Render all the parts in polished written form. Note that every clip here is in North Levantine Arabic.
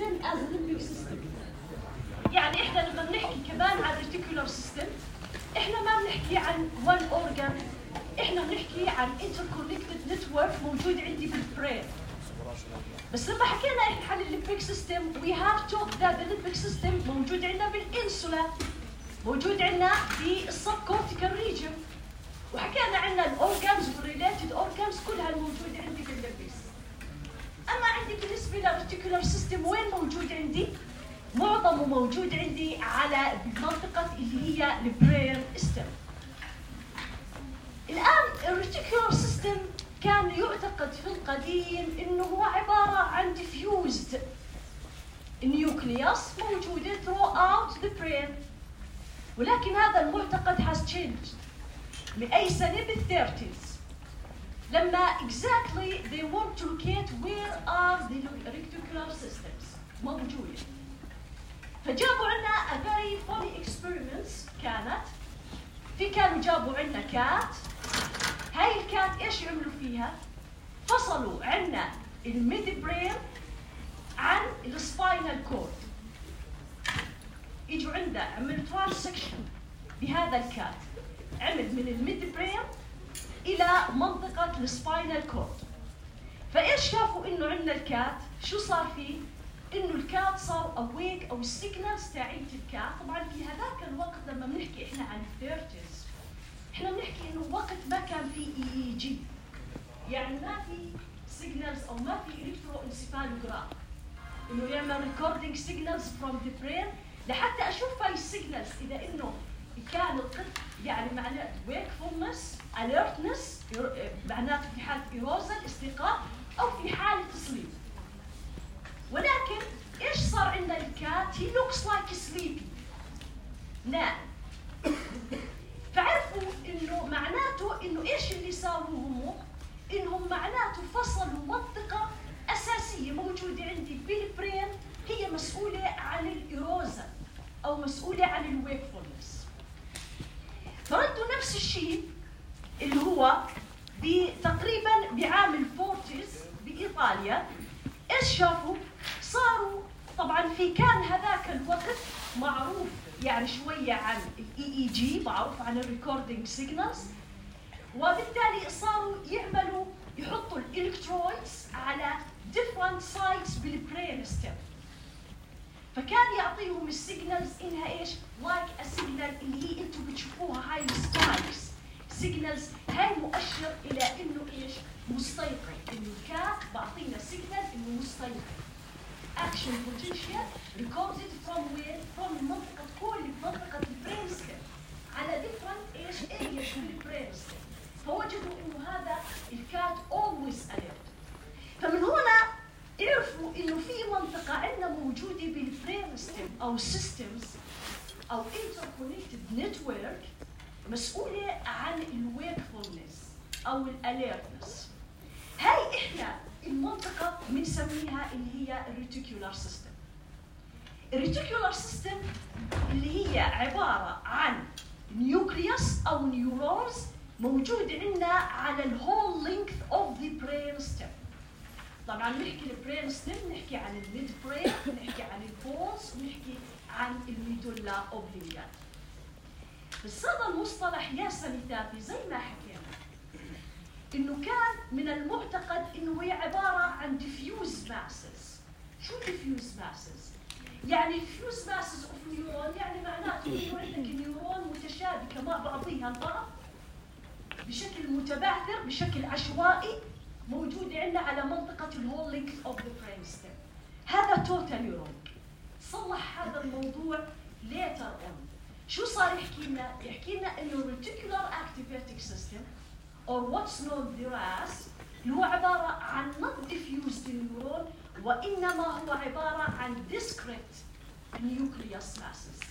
system as a limbic system. يعني إحنا لما بنحكي كمان عن reticular system إحنا ما بنحكي عن one organ، إحنا بنحكي عن interconnected network موجود عندي بالبرين. بس لما حكينا إحنا عن الليمبيك سيستم we have talked that the limbic system موجود عندنا بالإنسولا، موجود عندنا في السبكورتيكال ريجن، وحكينا عنا الأورجانز والريليتد أورجانز كلها الموجودة عندي بالليمبيك. أما عندي بالنسبة للريتيكولار سيستم وين موجود عندي؟ معظمه موجود عندي على المنطقة اللي هي البرين ستيم. الآن الريتيكولار سيستم كان يعتقد في القديم إنه هو عبارة عن diffused nucleus موجودة throughout the brain، ولكن هذا المعتقد has changed. بأي سنة؟ بالثيرتيز، لما exactly they want to locate where are the reticular systems موجودة. فجابوا عنا a very funny experiments كانوا جابوا عنا كات. هاي الكات ايش عملوا فيها؟ فصلوا عنا الميد برين عن السباينال كورد. اجوا عندنا عملوا ترانسكشن بهذا الكات، عمل من الميد برين الى منطقة السباينال كورد. فايش شافوا انه عندنا الكات شو صار فيه؟ انه الكات صار اويك او السيجنالز تاعت الكات. طبعا في هذاك الوقت لما بنحكي احنا عن الثيرتيز احنا بنحكي انه وقت ما كان في اي جي، يعني ما في سيجنالز او ما في الكترو انسيفالوجراف انه يعمل ريكوردينج سيجنالز فروم ذا برين لحتى اشوف هاي السيجنالز اذا انه كان القط يعني معناته wakefulness alertness معناته في حالة إيروزل استيقاظ أو في حالة sleep. ولكن إيش صار عندنا الكات؟ he looks like sleepy نام. فعرفوا إنه معناته إنه إيش اللي ساووه إنهم معناته فصلوا منطقة أساسية موجودة عندي بالبرين هي مسؤولة عن الإيروزل أو مسؤولة عن الويكفولنس. فردوا نفس الشيء اللي هو تقريبا بعام الفورتيز بإيطاليا. إيش شافوا؟ صاروا طبعا في كان هذاك الوقت معروف يعني شوية عن الاي اي جي، معروف عن الريكوردينج سيجنالز، وبالتالي صاروا يحطوا الالكترويدز على different sites بالبرين ستيم. فكان يعطيهم السيجنالز انها ايش؟ لايك السيجنال اللي هي انتم بتشوفوها هاي السبايكس سيجنالز، هاي مؤشر الى انه ايش؟ مستيقظ، انه الكات بعطينا سيجنال انه مستيقظ. اكشن بوتنشال ريكوردد فروم وين؟ فروم المنطقه كل منطقه البرين ستيم على ديفرنت ايش؟ ارياز في البرين ستيم. فوجدوا انه هذا الكات اولويز اليرت. فمن هنا عرفوا انه في منطقه عندنا موجوده بالبرين ستيم او سيستمز او interconnected network مسؤوله عن الويكفولنس او الاليرتنس. هاي احنا المنطقه بنسميها اللي هي الريتيكولار سيستم. الريتيكولار سيستم اللي هي عباره عن نيوكليوس او نيورونز موجود عندنا على الهول لينث اوف ذا برين ستيم. طبعا نحكي البرين ستيم نحكي عن الميد برين، نحكي عن البونز، ونحكي عن الميدولا اوبلينجات. بس هذا المصطلح يا سميتاتي زي ما حكينا انه كان من المعتقد انه هي عباره عن diffuse masses. شو diffuse masses؟ يعني diffuse masses of neuron يعني معناته انه عندك نيورون متشابكه مع بعضها البعض بشكل متبعثر بشكل عشوائي موجود عندنا على منطقة الهول لينث اوف ذا برين ستيم. هذا توتال نيورون. صلح هذا الموضوع later on. شو صار يحكي لنا؟ يحكي لنا انه reticular activating system or what's known as اللي هو عبارة عن not diffused neuron وإنما هو عبارة عن discrete nucleus masses.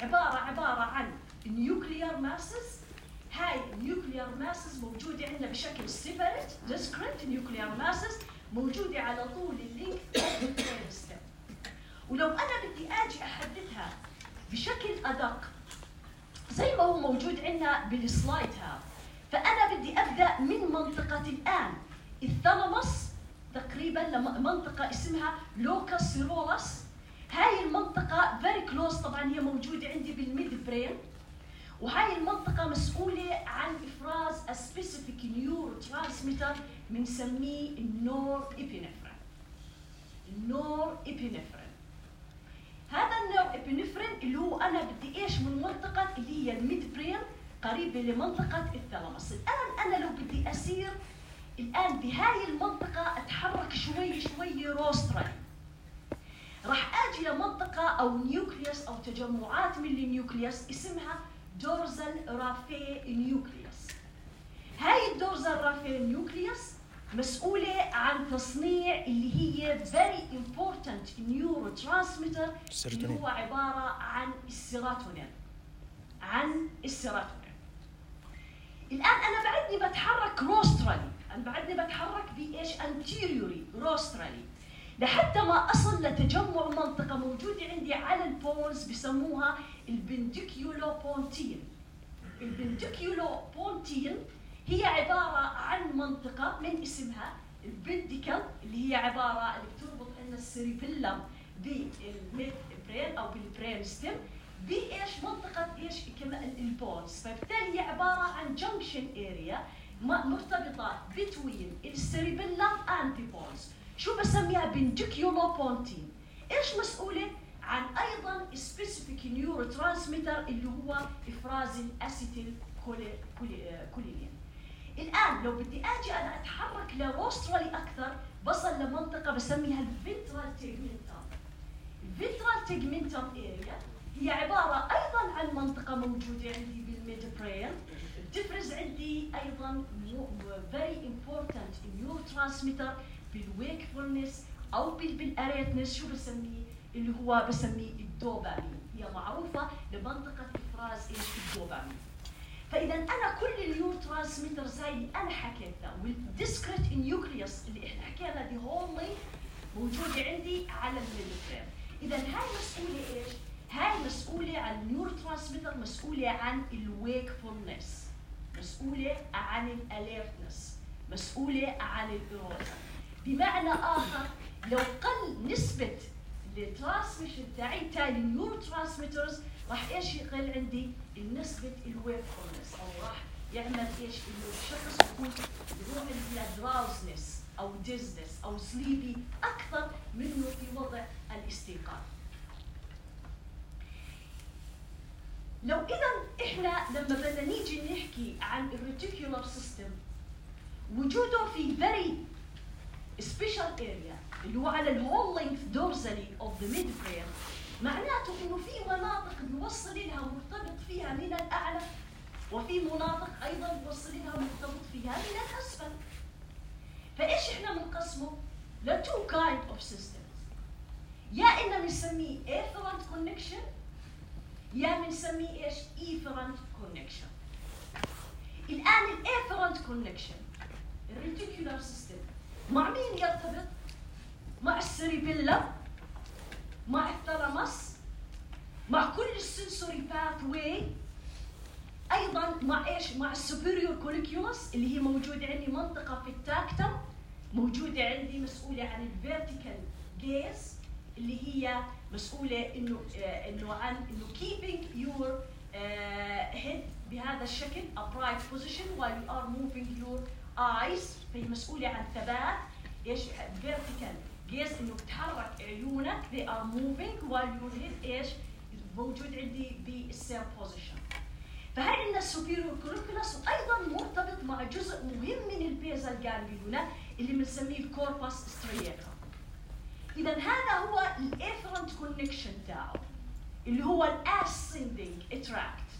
عبارة عن nuclear masses. هاي النيوكليار ماسز موجودة عندنا بشكل سيبريت ديسكريت نيوكليار ماسز موجودة على طول اللينك اوف ذا برين ستيم. ولو أنا بدي أجي أحددها بشكل أدق زي ما هو موجود عندنا بالسلايد هذا، فأنا بدي أبدأ من منطقة الآن الثالاموس تقريبا لمنطقة اسمها لوكاس سيرولس. هاي المنطقة very close، طبعا هي موجودة عندي بالميد برين، وهاي المنطقة مسؤولة عن إفراز a specific neurotransmitter بنسميه النور إبينفرين. النور إبينفرين هذا النور إبينفرين اللي هو أنا بدي إيش من منطقة اللي هي الميد برين قريبة لمنطقة الثالاموس. الآن أنا لو بدي أسير الآن بهاي المنطقة أتحرك شوي شوي روسترالي، راح أجي لمنطقة أو نيوكليوس أو تجمعات من النيوكليوس اسمها دورزال رافي نيوكليوس. هاي الدورزال رافي نيوكليوس مسؤولة عن تصنيع اللي هي very important neurotransmitter اللي هو عبارة عن السيروتونين. الآن أنا بعدني بتحرك روسترالي، أنا بعدني بتحرك بإيش؟ anteriorly روسترالي، لحتى ما أصل لتجمع منطقة موجودة عندي على البونز بسموها البنديكيولو بونتين. البنديكيولو بونتين هي عبارة عن منطقة من اسمها البنديكل اللي هي عبارة اللي بتربط لنا السيريبيلم بالميد برين أو بالبرين ستيم بإيش؟ منطقة إيش؟ كمان البونز. فبالتالي هي عبارة عن جنكشن اريا مرتبطة between السيريبيلم and the bones. شو بسميها؟ بنديكيولو بونتين. إيش مسؤولة؟ عن أيضا specific neurotransmitter اللي هو إفراز الأسيتيل كولين. الآن لو بدي أجي أنا أتحرك لروسترالي أكثر بصل لمنطقة بسميها الفنترال تيجمنتم. الفنترال تيجمنتم اريا هي عبارة أيضا عن منطقة موجودة عندي بالميد برين، بتفرز عندي أيضا very important neurotransmitter بالويكفولنس أو بالأريتنس. شو بسميه؟ اللي هو بسميه الدوبامين. هي معروفة لمنطقة إفراز إيش؟ الدوبامين. فإذا أنا كل النيوروترانسميترز هاي اللي أنا حكيتها والديسكريت نيوكليوس اللي إحنا حكينا دي هول موجودة عندي على الميدبرين. إذا هاي مسؤولة إيش؟ هاي مسؤولة عن النيوروترانسميتر، مسؤولة عن الويكفولنس، مسؤولة عن الاليرتنس، مسؤولة عن الإيروجن. بمعنى آخر لو قل نسبة الترانسميشن تاعي النيوروترانسميترز راح ايش يقل عندي؟ نسبة الويكفولنس، او راح يعمل ايش؟ انه الشخص يكون يروح الى دراوزنس او ديزنس او سليبي اكثر منه في وضع الاستيقاظ. لو اذا احنا لما بدنا نيجي نحكي عن الريتيكولار سيستم وجوده في very special area اللي هو على الهول لينث دورزالي اوف ذا ميد برين، معناته انه في مناطق بيوصل لها مرتبط فيها من الاعلى، وفي مناطق ايضا بيوصل لها مرتبط فيها من الاسفل. فايش احنا بنقسمه؟ لتو كايند اوف سيستمز، يا اما بنسميه افيرنت كونكشن يا بنسميه ايش؟ ايفيرنت كونكشن. الان الافيرنت كونكشن الريتيكولار سيستم مع مين يرتبط؟ مع السيريبيلم، مع الثالاموس، مع كل السنسوري باث واي، ايضا مع ايش؟ مع السوبيريور كوليكيولس اللي هي موجوده عندي منطقه في التاكتم، موجوده عندي مسؤوله عن الفيرتيكال جيز اللي هي مسؤوله انه عن انه keeping your head بهذا الشكل upright position while you are moving your eyes. فهي مسؤوله عن ثبات ايش؟ vertical gaze، انه بتحرك عيونك they are moving while your head ايش؟ موجود عندي بالسير بوزيشن. فهي عندنا السوبيريور كوليكيولس، وايضا مرتبط مع جزء مهم من البيزال جانجليونا اللي بنسميه الكوربس سترياتم. اذا هذا هو الافيرنت كونكشن تاعه اللي هو الاسندنج تراكت.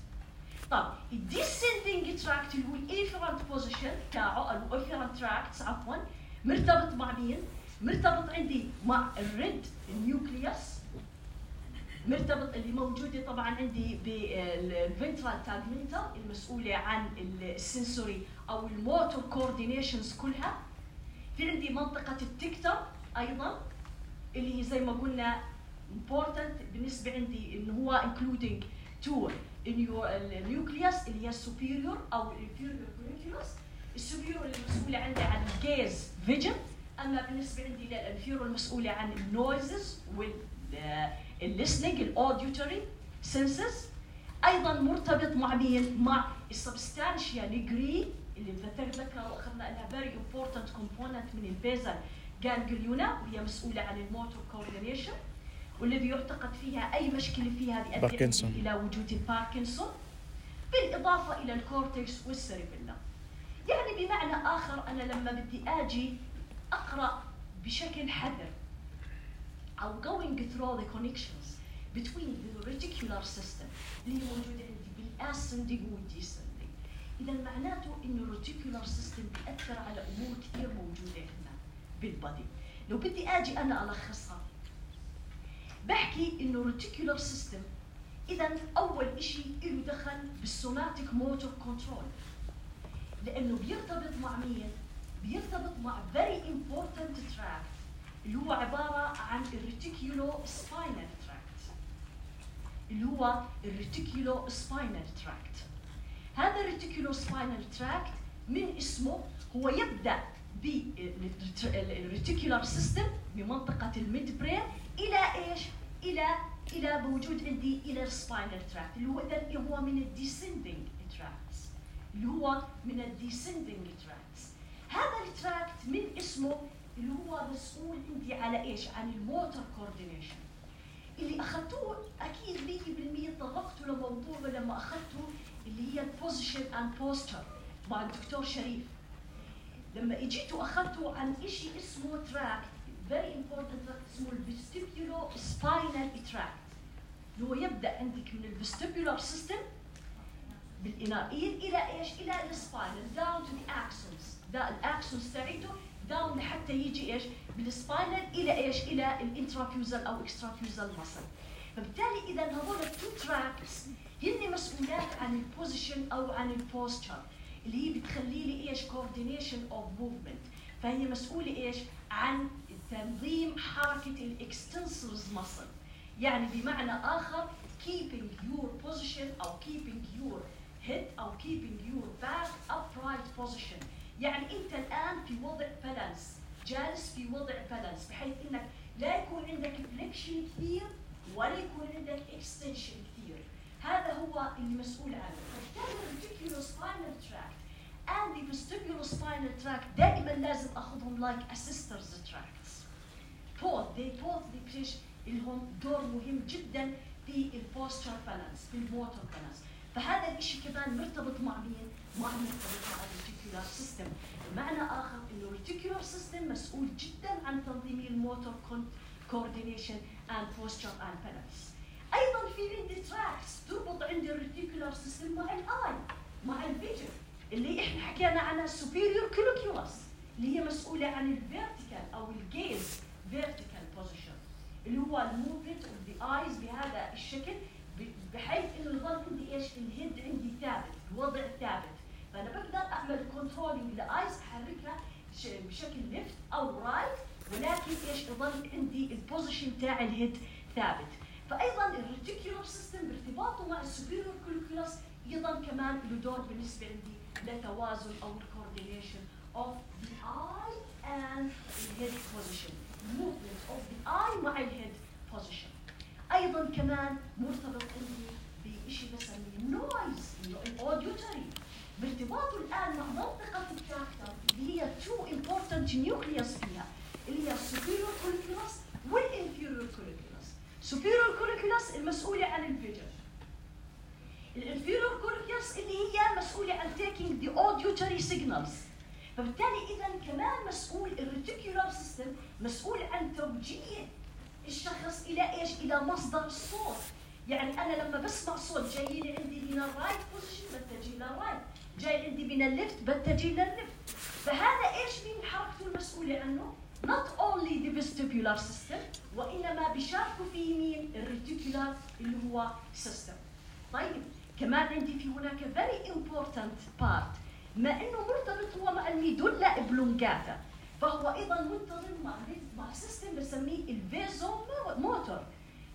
طب الديسندنج تراكت اللي هو الافيرنت بوزيشن تاعه او الافيرنت تراكتس عفوا مرتبط مع مين؟ مرتبط عندي مع الريد النيوكليوس، مرتبط اللي موجوده طبعا عندي بالفنترال تاجمنتال المسؤوله عن السنسوري او الموتور كوردينيشنز كلها. في عندي منطقه التكتم ايضا اللي هي زي ما قلنا important بالنسبه عندي انه هو including to النيوكليوس اللي هي السوبيريور او الانفيريور كوليكيولس. السوبيريور اللي مسؤوله عندي عن الجيز فيجن، اما بالنسبه عندي للانفيرو المسؤوله عن النويزز والليسننج الاوديوتري سنسز، ايضا مرتبط مع مين؟ مع السبستانشيا نيجري اللي ذكر واخذنا انها فيري امبورتنت كومبوننت من البيزل جانجليونا، وهي مسؤوله عن الموتور كوردينيشن، والذي يعتقد فيها اي مشكله فيها بيؤدي الى وجود الباركنسون، بالاضافه الى الكورتكس والسيربيلا. يعني بمعنى اخر انا لما بدي اجي اقرا بشكل حذر او going through the connections between the reticular system اللي موجوده عندي بالاسندنج والديسندنج، اذا معناته انه الريتيكولار سيستم بيأثر على امور كثير موجوده هنا بالبادي. لو بدي اجي انا الخصها بحكي انه الريتيكولار سيستم اذا اول شيء له دخل بالسوماتيك موتور كنترول، لانه بيرتبط مع مين؟ بيرتبط مع very important tract اللي هو عباره عن الريتيكولو سباينال تراكت، اللي هو الريتيكولو سباينال تراكت. هذا الريتيكولو سباينال تراكت من اسمه هو يبدا بالريتيكولار سيستم بمنطقه الميد برين الى ايش؟ الى بوجود عندي الى السباينال تراكت اللي هو اذا هو من الديسندنج تراكتس، اللي هو من الديسندنج تراكتس. هذا التراكت من اسمه اللي هو مسؤول عندي على ايش؟ عن الموتور كوردينيشن. اللي اخذتوه اكيد 100% طرقتوا لموضوع لما اخذتوا اللي هي البوزيشن اند بوستر مع الدكتور شريف. لما اجيتوا اخذتوا عن شيء اسمه تراكت very important تراكت اسمه الفيستيبيولو سباينال تراكت، اللي هو يبدا عندك من الفيستيبولار سيستم بالانائيين الى ايش؟ الى السباينال داون تو ذا اكسونز، ده الاكسونز تاعته داون لحتى يجي ايش؟ بالسباينال الى ايش؟ الى الانترافيوزال او اكسترافيوزال ماسل. فبالتالي اذا هذول التو تراكس هن مسؤولات عن البوزيشن او عن البوستشر اللي هي بتخلي لي ايش؟ كوردينيشن اوف موفمنت. فهي مسؤوله ايش؟ عن تنظيم حركه الاكستنسورز ماسل، يعني بمعنى اخر keeping your position او keeping your head او keeping your back upright position. يعني انت الان في وضع بالانس، جالس في وضع بالانس بحيث انك لا يكون عندك فليكشن كثير ولا يكون عندك اكستنشن كثير. هذا هو اللي مسؤول عنه. فبالتالي الريتيكولو سباينال تراكت and the vestibular spinal tract دائما لازم اخذهم like assistors tracts. they both لهم دور مهم جدا في البوستشر بالانس، في الموتور بالانس. فهذا الشيء كمان مرتبط مع مين؟ مرتبط مع الريتيكولار سيستم. بمعنى اخر انه الريتيكولار سيستم مسؤول جدا عن تنظيم الموتور كوردينيشن اند بوستشر اند بالانس. ايضا في عندي تراكس تربط عندي الريتيكولار سيستم مع الاي، مع الفيجن اللي احنا حكينا عنها superior colliculus اللي هي مسؤوله عن الفيرتيكال او الجيز فيرتيكال بوزيشن اللي هو الموفمنت اوف ذا ايز بهذا الشكل، بحيث انه يظل عندي ايش؟ الهيد عندي ثابت، الوضع ثابت. فانا بقدر اعمل كنترولينج للايز، احركها بشكل ليفت او رايت، ولكن ايش؟ يظل عندي البوزيشن تاع الهيد ثابت. فايضا الريتيكولار سيستم بارتباطه مع السوبيريور كوليكولاس ايضا كمان له دور بالنسبه عندي لتوازن او الكوردينيشن of the eye and the head position, movement of the eye مع الهيد position. ايضا كمان مرتبط عندي بشيء بسميه النويز، الاوديوتري، بارتباطه الان مع منطقه التراكتر اللي هي two important nucleus فيها اللي هي السوبيريور كوليكولاس والانفيريور كوليكولاس. superior colliculus المسؤوله عن الفيجن، الانفيريور كوليكولاس اللي هي مسؤوله عن taking the auditory signals. فبالتالي اذا كمان مسؤول الريتيكولار سيستم مسؤول عن توجيه الشخص الى ايش؟ الى مصدر الصوت. يعني انا لما بسمع صوت جاي لي عندي من الرايت بوزيشن بتجي للرايت، جاي عندي من الليفت بتجي للليفت. فهذا ايش مين حركته المسؤوله عنه؟ not only the vestibular system وانما بيشاركوا فيه مين؟ الريتيكولار اللي هو سيستم. طيب كمان عندي في هناك very important part، ما انه مرتبط هو مع الميدولا ابلونجاتا، فهو ايضا مرتبط مع سيستم بسميه الفيزو موتور.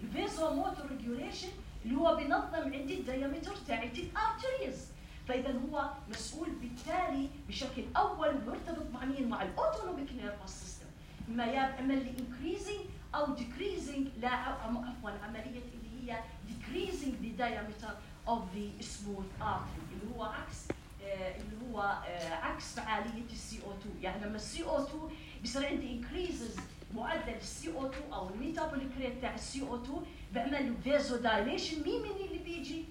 الفيزو موتور ريجوليشن اللي هو بينظم عندي الديامتر تاعت الارتريز. فاذا هو مسؤول بالتالي بشكل اول مرتبط مع مين؟ مع الاوتونوميك نيرفس سيستم. إما يعمل لي increasing أو decreasing، لا عفوا عملية اللي هي decreasing the diameter of the smooth artery اللي هو عكس فعالية CO2. يعني لما CO2 بيصير عندي increases معدل CO2 أو الميتابوليك ريت تاع CO2 بعمل له vasodilation. مين اللي بيجي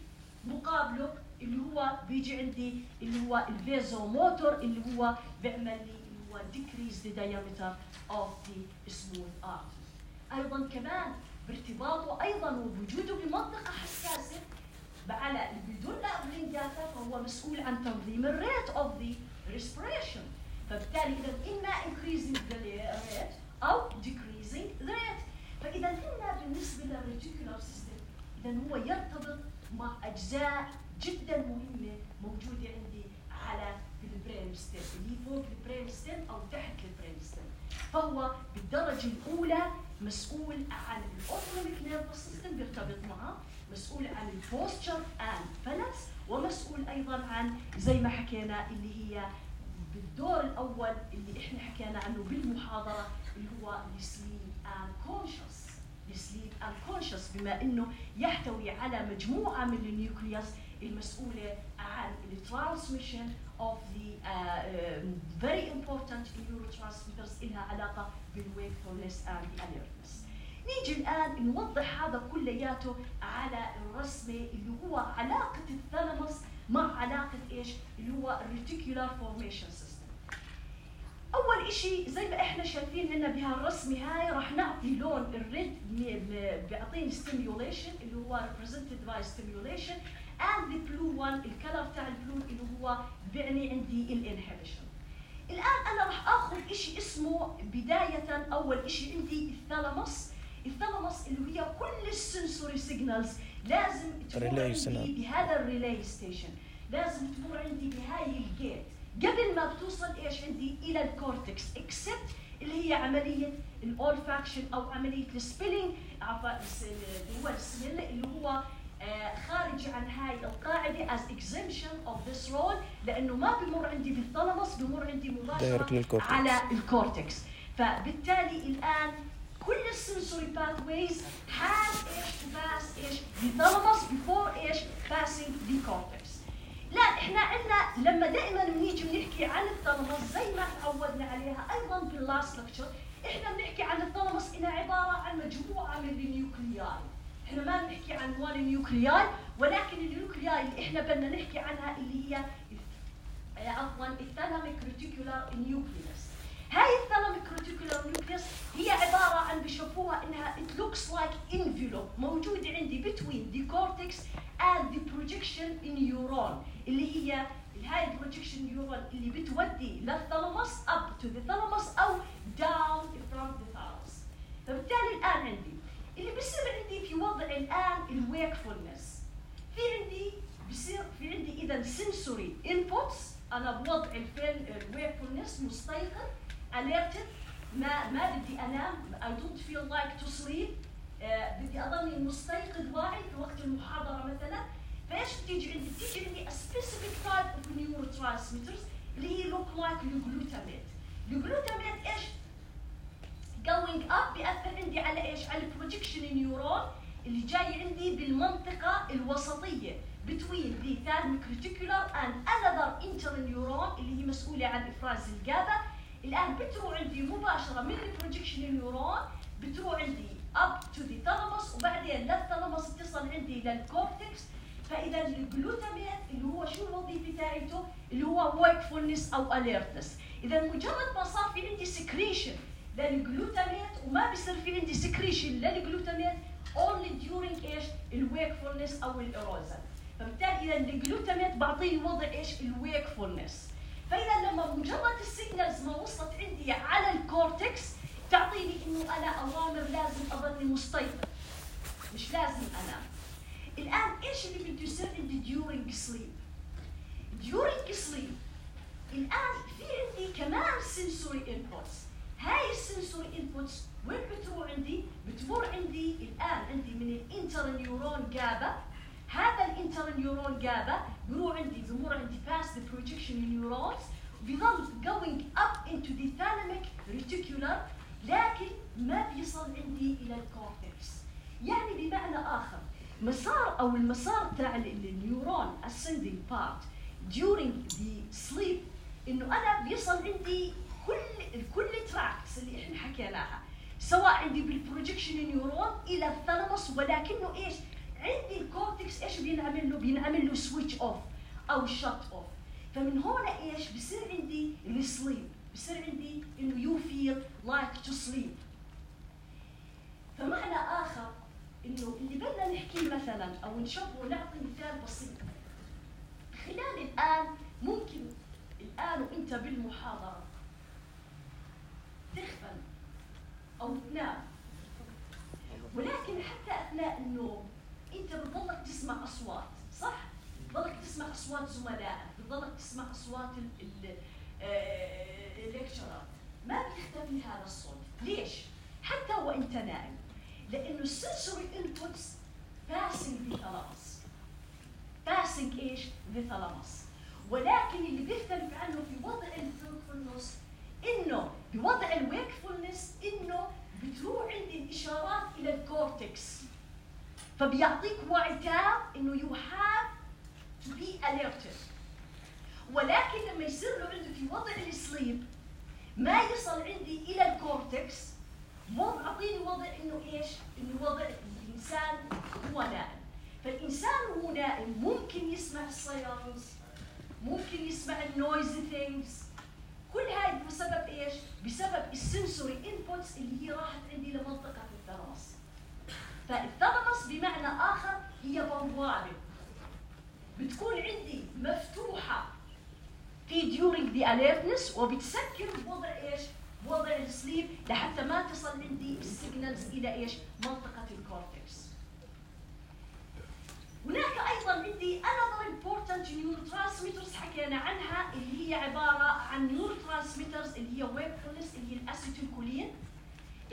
مقابله؟ اللي هو بيجي عندي اللي هو الفازوموتور اللي هو بيعمل لي اللي هو decrease the diameter of the smooth artery. أيضا كمان بارتباطه أيضا وبوجوده بمنطقة حساسة على اللي بيدل على داتا، فهو مسؤول عن تنظيم الريت of the respiration. فبالتالي إذا إما increasing the rate أو decreasing the rate. فإذا هنا بالنسبة للريتيكولار سيستم إذا هو يرتبط مع أجزاء جدا مهمة موجودة عندي على البرين ستيم اللي هي فوق البرين ستيم أو تحت البرين ستيم. فهو بالدرجة الأولى مسؤول عن الأوتونوميك نيرفس سيستم بيرتبط معه، مسؤول عن البوستشر اند بالانس، ومسؤول أيضا عن زي ما حكينا اللي هي بالدور الأول اللي إحنا حكينا عنه بالمحاضرة اللي هو السليب اند كونشس. السليب اند كونشس بما إنه يحتوي على مجموعة من النيوكليوس المسؤولة عن الترانسميشن of the very important neurotransmitters إلها علاقة بالwakefulness and the alertness. نيجي الآن نوضح هذا كلياته على الرسمة اللي هو علاقة الثالاموس مع علاقة إيش؟ اللي هو الريتيكولار فورميشن سيستم. أول إشي زي ما إحنا شايفين هنا بهالرسمة هاي راح نعطي لون الريد بيعطيني stimulation اللي هو represented by stimulation and the blue one الكلر تاع البلو اللي هو بيعني عندي الانهبيشن. الآن أنا راح آخذ إشي اسمه بداية أول إشي عندي الثالاموس. الثالاموس اللي هي كل السنسوري سيجنالز لازم تمر عندي بهذا الريلاي ستيشن، لازم تمر عندي بهاي الجيت قبل ما بتوصل إيش عندي إلى الكورتكس اكسبت اللي هي عملية الأولفاكشن أو عملية السبيلينج عفوا اللي هو السميل اللي هو خارج عن هاي القاعدة as exemption of this role لأنه ما بمر عندي بالثالاموس، بمر عندي مباشرة على الكورتكس. فبالتالي الآن كل السنسوري pathways have إيش to pass إيش the before إيش passing the cortex. لا إحنا عندنا لما دائما بنيجي بنحكي عن الثالاموس زي ما تعودنا عليها أيضا باللاست لكتشر، إحنا بنحكي عن الثالاموس إنها عبارة عن مجموعة من النيوكلياي. إحنا ما بنحكي عن وان نيوكلياي، ولكن النيوكلياي اللي إحنا بدنا نحكي عنها اللي هي عفوا الثالاميك ريتيكولار نيوكليوس. هاي الثالاميك ريتيكولار نيوكليوس هي عبارة عن بشوفوها إنها it looks like envelope موجودة عندي between the cortex and the projection neuron اللي هي هاي البروجكشن نيورون اللي بتودي للثالاموس up to the thalamus أو down from the thalamus. فبالتالي الآن عندي اللي بيصير عندي في وضع الآن الويكفولنس، في عندي بيصير في عندي إذا سنسوري انبوتس، أنا بوضع الويكفولنس مستيقظ alerted، ما بدي أنام I don't feel like to sleep، بدي أضلني مستيقظ واعي في وقت المحاضرة مثلا. فإيش بتيجي عندي؟ بتيجي عندي a specific type of neurotransmitters اللي هي look like الجلوتاميت. الجلوتاميت إيش؟ going up بيأثر عندي على إيش؟ على البروجكشن نيورون اللي جاي عندي بالمنطقة الوسطية between the thalamic reticular and another interneuron اللي هي مسؤولة عن إفراز الجابا. الآن بتروح عندي مباشرة من البروجكشن نيورون بتروح عندي up to the thalamus وبعدين للثالاموس بتصل عندي للكورتكس. فإذا الجلوتاميت اللي هو شو الوظيفة تاعته؟ اللي هو wakefulness أو alertness. إذا مجرد ما صار في عندي secretion للجلوتاميت وما بيصير في عندي secretion للجلوتاميت only during إيش؟ الwakefulness أو الإيروزن. فبالتالي إذا الجلوتاميت بعطيه وضع إيش؟ الwakefulness. فإذا لما مجرد السيجنالز ما وصلت عندي على الكورتكس تعطيني إنه أنا أوامر لازم أظل مستيقظ، مش لازم أنام. الآن إيش اللي بده يصير عندي during sleep؟ during sleep الآن في عندي كمان sensory inputs. هاي السنسوري inputs وين بتروح عندي؟ بتمر عندي الآن عندي من الانترنيورون جابا. هذا الانترنيورون جابا بروح عندي بمر عندي past the projection neurons بيظل going up into the thalamic reticular ما بيصل عندي الى الكورتكس. يعني بمعنى اخر مسار او المسار تاع النيورون ascending part during the sleep انه انا بيصل عندي كل تراكتس اللي احنا حكيناها، سواء عندي بالبروجكشن نيورون الى الثالاموس، ولكنه ايش؟ عندي الكورتكس ايش بينعمل له سويتش اوف او شت اوف. فمن هنا ايش بصير عندي السليب، بصير عندي انه يو فيل لايك تو سليب. فمعنى اخر انه اللي بدنا نحكيه مثلا او نشوفه، نعطي مثال بسيط. خلال الان ممكن الان وانت بالمحاضره تغفل او تنام، ولكن حتى اثناء النوم انت بتضلك تسمع اصوات، صح؟ بتضلك تسمع اصوات زملائك، بتضلك تسمع اصوات الليكتشرات، ما بيختفي هذا الصوت. ليش؟ حتى وانت نائم، لانه السنسوري انبوتس باسنج ذا ثالاموس، باسنج ايش؟ ذا ثالاموس. ولكن اللي بيختلف عنه في وضع الويكفولنس انه بوضع الويكفولنس انه بتروح عندي الاشارات الى الكورتكس، فبيعطيك وعي تام انه يو هاف تو بي alerted. ولكن لما يصير له عنده في وضع السليب ما يصل عندي الى الكورتكس، اعطيني وضع انه ايش؟ انه وضع الانسان هو نائم. فالانسان وهو نائم ممكن يسمع السايرنز، ممكن يسمع النويزي ثينجز، كل هاي بسبب ايش؟ بسبب السنسوري انبوتس اللي هي راحت عندي لمنطقه الثالاموس. فالثالاموس بمعنى اخر هي بوابه بتكون عندي مفتوحه في during the alertness، وبتسكر بوضع ايش؟ بوضع السليب لحتى ما تصل عندي السيجنالز الى ايش؟ منطقه الكورتكس. هناك ايضا عندي another important neurotransmitters حكينا عنها، اللي هي عباره عن neurotransmitters اللي هي wakefulness، اللي هي الاسيتيلكولين.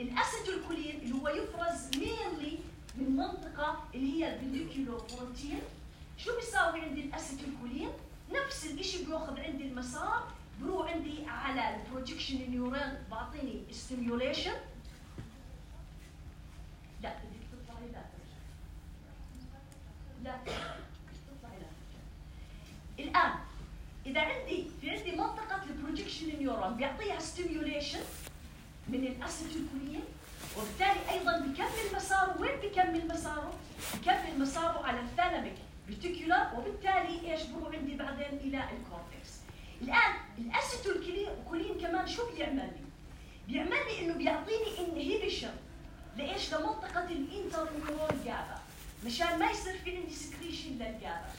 الاسيتيلكولين اللي هو يفرز mainly من منطقه اللي هي البنديكولوفرونتين. شو بيساوي عندي الاسيتيلكولين؟ نفس الشيء بياخذ عندي المسار، بروح عندي على البروجكشن نيورون، بعطيني ستيميوليشن. لا بدك تطلعي، لا تطلعي لا. الان اذا عندي منطقه البروجكشن نيورون بيعطيها ستيميوليشن من الاسيتيلكولين، وبالتالي ايضا بكمل مساره. وين بكمل مساره؟ بكمل مساره على الثالاميك ريتيكولار، وبالتالي ايش بروح عندي بعدين الى الكورتكس. الان الاسيتيلكولين كمان شو بيعمل لي؟ بيعمل لي انه بيعطيني انهيبيشن لايش؟ لمنطقه الانترنيورال جابا، مشان ما يصير في عندي سكريشن للجابا.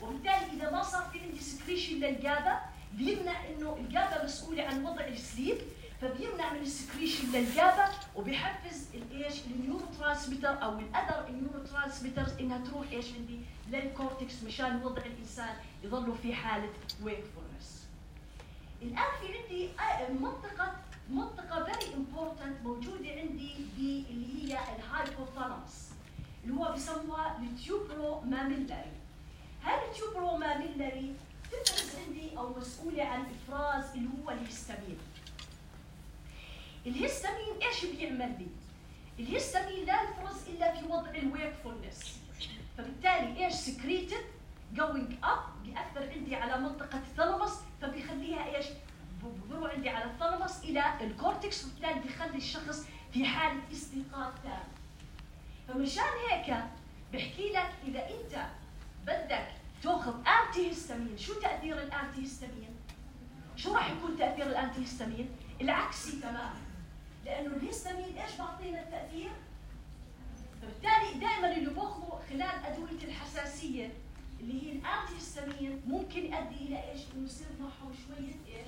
وبالتالي اذا ما صار في عندي سكريشن للجابا بيمنع انه الجابا مسؤوله عن وضع السليب، فبيمنع من السكريشن للجابا، وبيحفز الايش؟ النيورو ترانسميتر او الاذر النيورو ترانسميترز انها تروح ايش عندي؟ للكورتكس، مشان وضع الانسان يظلوا في حاله ويكفولنس. الان في عندي منطقه فيري امبورتنت موجوده عندي اللي هي الهايبوثالاموس، اللي هو بسموها التيوبرو ماميلاري. هذا التيوبرو ماميلاري تفرز عندي او مسؤوله عن افراز اللي هو الهستامين. الهستامين ايش بيعمل لي؟ الهستامين لا يفرز الا في وضع الويكفولنس، فبالتالي ايش؟ سكريتد جوينج اب، بياثر عندي على منطقه الثالاموس، فبيخليها ايش؟ بروح عندي على الثالاموس الى الكورتكس، وبالتالي بيخلي الشخص في حاله استيقاظ تام. فمشان هيك بحكي لك اذا انت بدك تاخذ انتي هستامين، شو تاثير الانتي هستامين؟ شو راح يكون تاثير الانتي هستامين؟ العكسي تماما، لانه الهستامين ايش بعطينا التاثير؟ فبالتالي دائما اللي باخذه خلال ادويه الحساسيه اللي هي الانتي هستامين ممكن يؤدي الى ايش؟ انه يصير معهم شويه ايش؟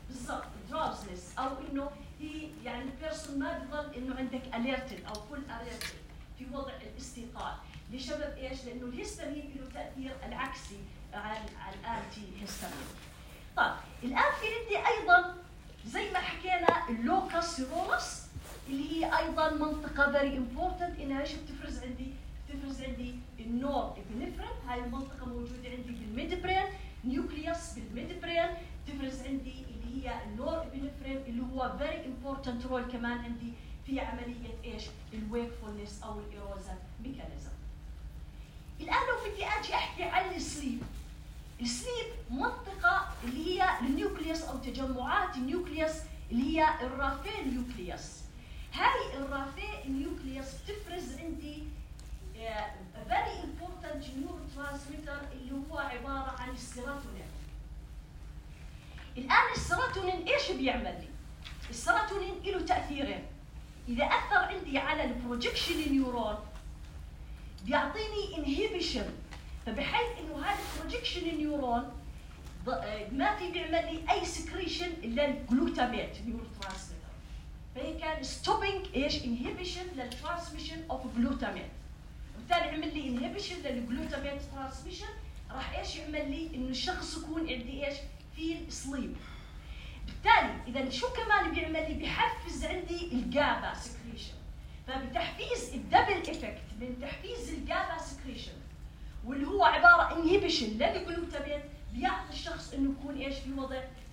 بالضبط دراوزنس، او انه هي يعني البيرسون ما بضل انه عندك اليرتد او فول اليرتد في وضع الاستيقاظ. لسبب ايش؟ لانه الهستامين له تاثير العكسي على الانتي هستامين. طيب الان في عندي ايضا زي ما حكينا اللوكس سيرولس، اللي هي ايضا منطقه فيري امبورتنت، انها ايش بتفرز عندي؟ بتفرز عندي النور ابنفرين، هاي المنطقه موجوده عندي بالميد برين، نيوكليوس بالميد برين، تفرز عندي اللي هي النور ابنفرين اللي هو فيري امبورتنت رول كمان عندي في عمليه ايش؟ الويكفولنس او الايروزال ميكانيزم. الان لو بدي اجي احكي عن السليب. السليب منطقه اللي هي النيوكليوس او تجمعات النيوكليوس اللي هي الرافين نيوكليوس. هاي الرافين نيوكليوس بتفرز عندي very important neurotransmitter اللي هو عباره عن السيروتونين. الان السيروتونين ايش بيعمل لي؟ السيروتونين له تاثيرين. اذا اثر عندي على البروجكشن نيورون بيعطيني انهبيشن، فبحيث انه هذا البروجكشن نيورون ما في بيعمل لي اي سكريشن الا الجلوتاميت نيورو ترانسميتر. فهي كان ستوبينج ايش؟ انهبيشن للترانسميشن اوف جلوتاميت. وبالتالي عمل لي انهبيشن للجلوتاميت ترانسميشن، راح ايش يعمل لي؟ انه الشخص يكون عندي ايش؟ في سليب. بالتالي اذا شو كمان بيعمل لي؟ بحفز عندي الجابا سكريشن. فبتحفيز الدبل افكت من تحفيز الجابا سكريشن واللي هو عباره انهبيشن للجلوتاميت بيعطي الشخص انه يكون ايش؟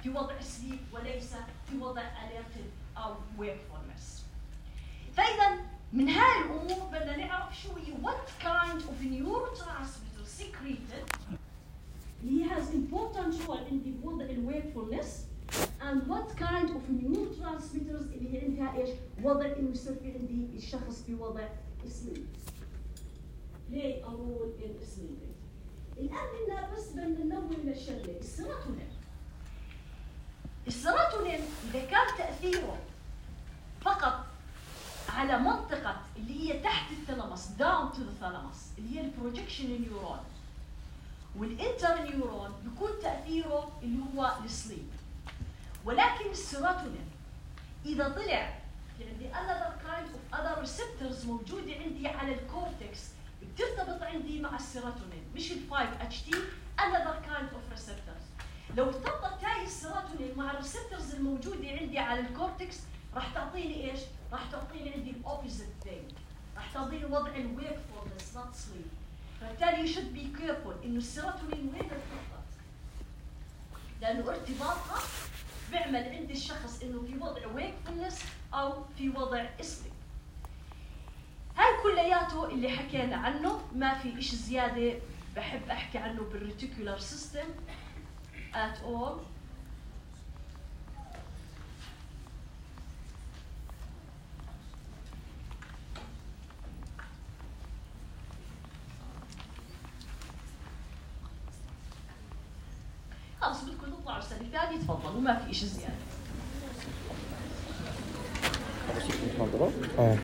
في وضع سليب وليس في وضع اليرتد او ويكفولنس. فاذا من هاي الامور بدنا نعرف شو هي what kind of neurotransmitter secreted اللي has important role عندي بوضع الويكفولنس and what kind of neurotransmitters اللي هي عندها ايش؟ وضع انه يصير في عندي الشخص في وضع سليب. play a role in sleeping. الآن بدنا بس بدنا ننوه للشغلة، السيروتونين. السيروتونين إذا كان تأثيره فقط على منطقة اللي هي تحت الثالاموس down to the thalamus اللي هي البروجكشن نيورون والانتر نيورون بيكون تأثيره اللي هو السليب. ولكن السيروتونين إذا طلع في عندي other kind of other receptors موجودة عندي على الكورتكس بترتبط عندي مع السيروتونين، مش ال 5-HT another kind of receptors. لو ارتبطت هاي السيروتونين مع الريسبتورز الموجودة عندي على الكورتكس راح تعطيني ايش؟ راح تعطيني عندي الاوبوزيت ثينج، راح تعطيني وضع الويكفولنس نوت سليب. فبالتالي you should be careful انه السيروتونين وين ارتبطت؟ لانه ارتباطها بيعمل عند الشخص انه في وضع ويكفولنس او في وضع سليب. هاي كلياته اللي حكينا عنه، ما في إشي زيادة بحب أحكي عنه بالريتيكولار سيستم at all. خلص بدكم تطلعوا السنة الثانية تفضلوا، ما في إشي زيادة.